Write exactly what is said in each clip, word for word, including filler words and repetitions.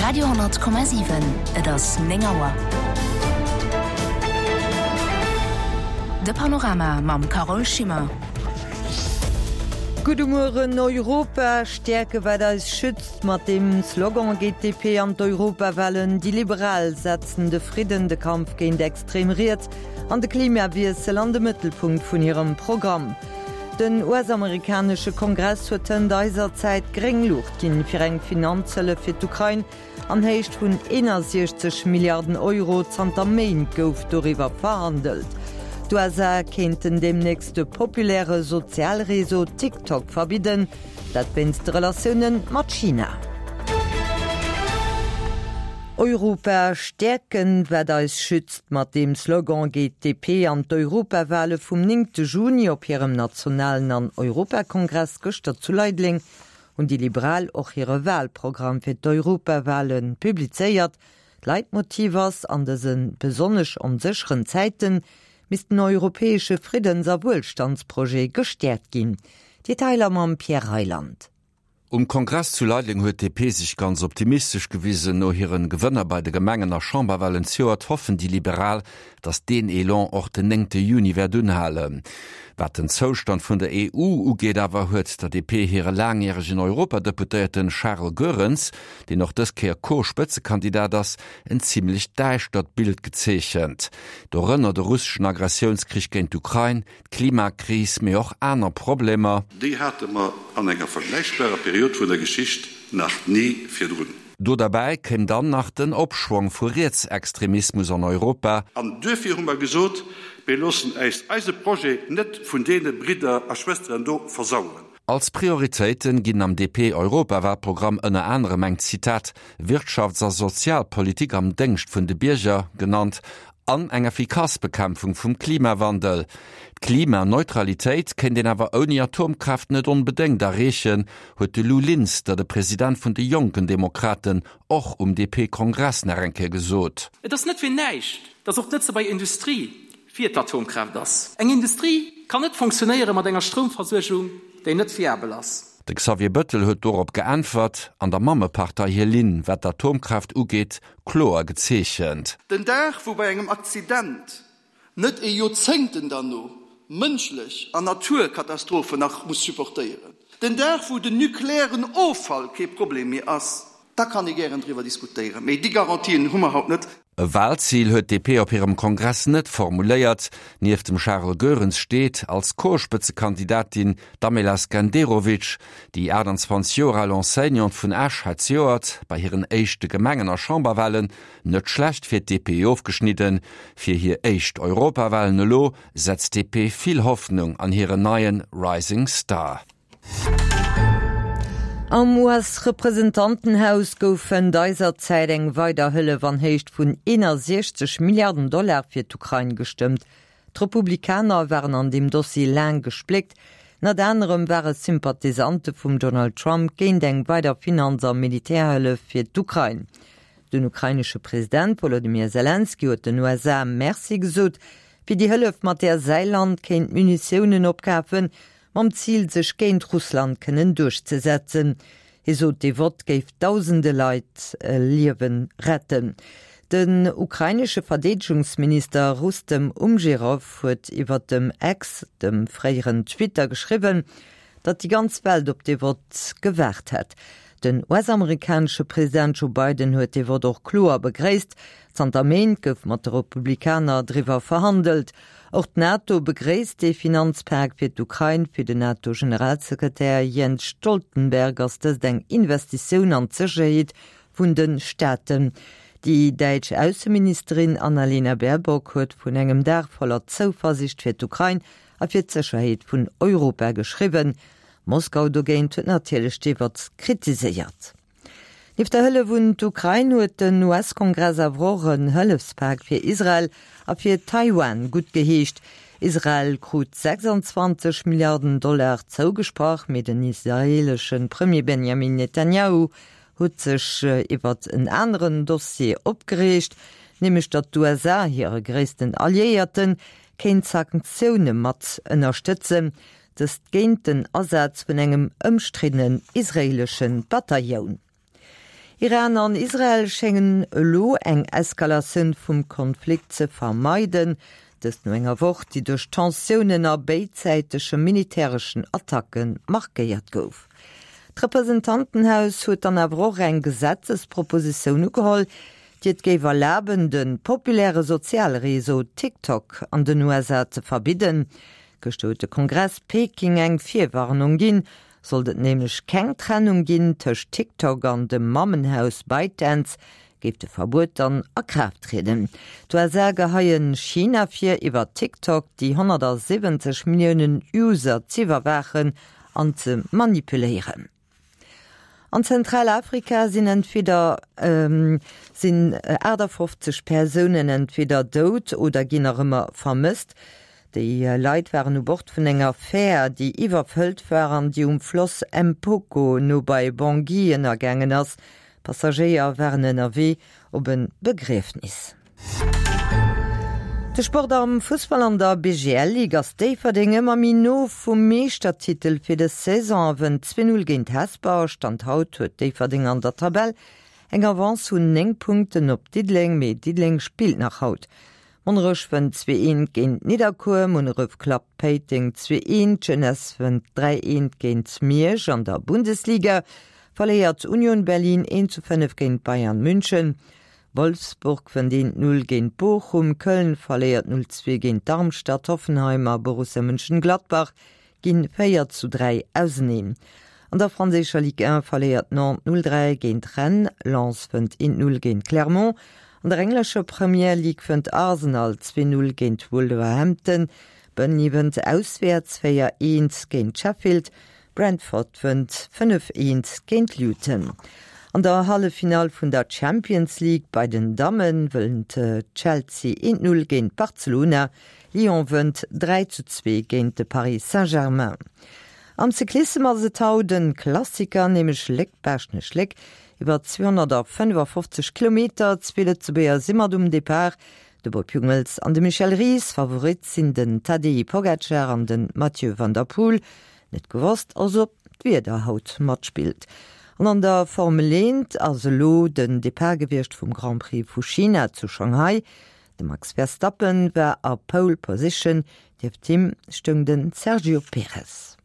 Radio honnert Komma siwen, Et ass néng Auer. De Panorama mam Carole Schimmer. Gudde Mueren, Europa stäerke wat eis schützt, mat deem Slogan geet d'D P an d'Europawalen. Déi Liberal setzen de Fridden, de Kampf géint extrem Riets an de Klimawiessel an de Mëttelpunkt vun hirem Programm. Den U S-amerikanesche Kongress huet hënt eiser Zäit gréng Luucht ginn fir eng Finanzhëllef fir d'Ukrain an Héicht vun eenasiechzeg Milliarden Euro. Zanter Méint gouf doriwwer verhandelt. D'U S A kéinten deemnächst de populäre Sozialreseau TikTok verbidden, dat wéinst de Relatioune mat China. Europa stäerken, wat eis schützt, mat deem Slogan geet d'D P an d'Europawale vum néngte Juni. Op hirem nationalen an Europakongress gëschter zu Leideleng hunn déi Liberal och hire Walprogramm fir d'Europawale publizéiert. D'Leitmotiv ass, an dëse besonnesch onsécheren Zäite misst den europäesche Friddens a Wuelstandsprojet gestäerkt ginn. Detailer mam Pierre Reyland. Um Kongress zu Leideleng huet d'D P sech ganz optimistesch gewisen. No hiren Gewënner bei de Gemengen a Chamberwalen zejoert hoffen déi Liberal, datt deen Elan och den néngte Juni wäert unhalen. Wat den Zoustand vun der E U ugeet awer huet der D P hire laangjäregen Europadeputéierten Charles Goerens, deen och dës Kéier Co-Spëtzekandidat ass, en zimmlech däischtert Bild gezeechent. Dorënner de russeschen Agressiounskrich géint d'Ukrain, d'Klimakris, mee och aner Problemer. Déi hate mer an enger vergläichbarer Period vun der Geschicht nach ni virdrun. Do derbäi kéim dann nach den Opschwong vu Rietsextremismus an Europa. An duerfir hu mer gesot, Mir loossen äis eise Projet net vun deene Bridder a Schwësteren do versaueren. Als Prioritéiten ginn am D P-Europawalprogramm ënner anerem eng, Zitat, Wirtschafts a Sozialpolitik am Déngscht vun de Bierger genannt an eng effikass Bekämpfung vum Klimawandel. D'Klimaneutralitéit kéint een awer ouni Atomkraaft net onbedéngt erreechen, huet de Lou Linster, de President vun de Jonken Demokraten, och um D P-Kongress nach eng Kéier gesot. Et ass net fir näischt, datt och d'Lëtzebuerger Industrie fir d'Atomkraaft ass. Eng Industrie kann net fonctionnéiere mat enger Stroumversuergung, déi net fiabel ass. De Xavier Bëttel huet dorop geäntwert an der Mammepartei hir Linn, wat d'Atomkraaft ugeet, kloer gezeechent. Den Dag, wou bei engem Accident net ee Joerzéngten derno mënschlech an Naturkatastrophen nach muss supportéieren, den Dag, wou den nuklearen Offall kee Problem méi ass, da kann ee gären driwwer diskutéieren. Mee déi Garantien hu mer haut net. E Walzil huet d'D P op hirem Kongress net formuléiert. Nieft dem Charles Goerens steet als Co-Spëtzekandidatin d'Amela Skenderovic. Déi aachtanzwanzeg Joer al Enseignante vun Esch hat zejoert bei hiren éischte Gemengen a Chamberwalen net schlecht fir d'D P ofgeschnidden. Fir hir éischt Europawalen elo setzt d'D P vill Hoffnung an hiren neie Rising Star. Am U S-Representantenhaus gouf hënt eiser Zäit eng weider Hëllef an Héicht vun eenasiechzeg Milliarden Dollar fir d'Ukrain gestëmmt. D'Republikaner waren an deem Dossier laang gespléckt. Ënnert anerem ware Sympathisante vum Donald Trump géint eng weider Finanz- a Militärhëllef fir d'Ukrain. Den ukrainesche President Wolodymyr Selenskyj huet den U S A Merci gesot fir déi Hëllef, mat där säi Land kéint Munitiounen opkafen, mam Zil sech géint Russland kënnen duerchzesetzen. Hie sot de Vott géif dausende Leit äh, Liewen retten. Den ukrainesche Verdeedegungsminister Rustem Umjerow huet iwwer dem X, dem fréieren Twitter, geschriwwen, datt déi ganz Welt op de Vott gewaart hätt. Den U S-amerikanesche President Joe Biden huet de Vott och kloer begréisst. Zanter Méint gouf mat de Republikaner driwwer verhandelt. Och d'NATO begréisst de Finanzpak fir d'Ukrain. Fir den NATO-Generalsekretär Jens Stoltenberg ass dëst eng Investitioun an d'Sécherheet vun de Staaten. Déi däitsch Ausseministerin Annalena Baerbock huet vun engem Dag voller Zouversiicht fir d'Ukrain a fir d'Sécherheet vun Europa geschriwwen. Moskau dogéint huet natierlech de Vott kritiséiert. Nieft der Hëllef un d'Ukrain huet den U S-Kongress awer och en Hëllefspak fir Israel a fir Taiwan guttgeheescht. Israel krut sechsanzwanzeg Milliarden Dollar zougesprach, mee den israeelesche Premier Benjamin Netanjahu huet sech iwwer en aneren Dossier opgereegt, nämlech datt d'U S A, hire gréissten Alliéierten, kéint Sanktioune mat ënnerstëtzen, dëst géint den Asaz vun engem ëmstriddenen israeelesche Bataillon. Iran an Israel schéngen elo eng Eskalatioun vum Konflikt ze vermeiden, dëst no enger Woch, déi duerch Tensiounen a béidsäitege militäreschen Attacke markéiert gouf. D'Representantenhaus huet dann awer och eng Gesetzespropositioun ugeholl, déi et géif erlaben, de populäre soziale Réseau TikTok an den U S A ze verbidden. Gëschter huet de Kongress Peking eng Virwarnung ginn, sollt et nämlech keng Trennung ginn tëscht TikTok an dem Mammenhaus ByteDance, géif de Verbuet dann a Kraaft trieden. D'U S A geheien China vir, iwwer TikTok déi honnertsiwwenzeg Milliounen User z'iwwerwaachen an ze manipuléieren. An Zentralafrika sinn entweder, ähm, sinn achtundfünfzig Persounen entweder dout oder ginn nach ëmmer vermësst. Déi Leit waren u Bord vun enger Fähr, déi iwwerfëllt war an déi um Floss Mpoko no bei Bangui ënnergaangen ass. Passagéier waren ënnerwee op en Begriefnis. De Sport am Fussball an der B G L-Ligue ass Déifferdeng ëmmer méi no vum Meeschtertitel fir de Saison wënnt zwee null géint Hesper. Stand haut huet Déifferdeng an der Tabell eng Avance vun néng Punkten op Diddeleng, mee Diddeleng spillt nach haut. Monnerech wënnt zwee eent géint Nidderkuer, Munneref klappt Péiteng zwee eent, Jeunesse wënnt dräi eent géint Miersch. An der Bundesliga verléiert Union Berlin eent zu fënnef géint Bayern München. Wolfsburg wënnt eent null géint Bochum, Köln verléiert null zwee géint Darmstadt, Hoffenheim a Borussia Mönchengladbach ginn véier zu dräi auseneen. An der franséischer Ligue un verléiert Nantes null dräi géint Rennes, Lens wënnt eent null géint Clermont. An der englescher Premier League wënnt Arsenal zwee null géint Wolverhampton, Burnley wënnt auswäerts véier eent géint Sheffield, Brentford wënnt fënnef eent géint Luton. An der Halleffinall vun der Champions League bei den Dammen wënnt Chelsea eent null géint Barcelona, Lyon wënnt dräi zu zwee géint de Paris Saint-Germain. Am Cyclissem ass et haut den Klassiker, nämlech Léck-Baaschtnech-Léck, iwwer zweihunnertfünfundfünfzig Kilometer, zwee Lëtzebuerger si mat um Depart. De Bob Jungels an de Michel Ries, Favorit sinn den Tadej Pogacar an den Mathieu van der Poel. Net gewosst, also ob d'Wieder haut matspillt. An an der Formel eent ass elo den Depart gewiescht vum Grand Prix vu China zu Shanghai. De Max Verstappen war a Pole Position, nieft him stoung den Sergio Perez.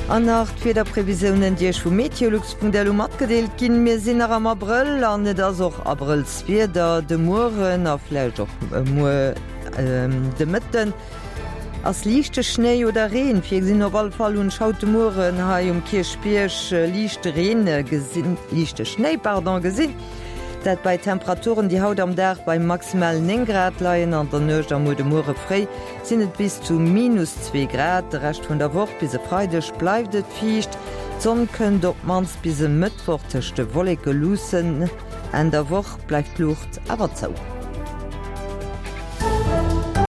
An nach d'Wiederprevisiounen, déi iech vu Meteolux punkt L U matgedeelt ginn. Mir sinn nach am Abrëll an et ass och Abrëllswieder de Mueren a vläicht och muer, ähm, de Mëtten. Ass liichte Schnéi oder Reen virgesinn? Op alle Fall hunn ech haut de Mueren hei um Kierchbierg liichte Reen gesinn, liichte Schnéi, pardon, gesinn. Dat bei Temperaturen, déi haut am Dag bei maximal néng Grad leien, an der Nuecht am muer de Muere fréi sinn et bis zu minus zwee Grad. De Rescht vun der Woch bis e Freideg bleift et fiicht. D'Sonn kënnt op d'mannst bis e Mëttwoch tëscht de Wolleke luussen. Enn der Woch bleift d'Luucht awer zou.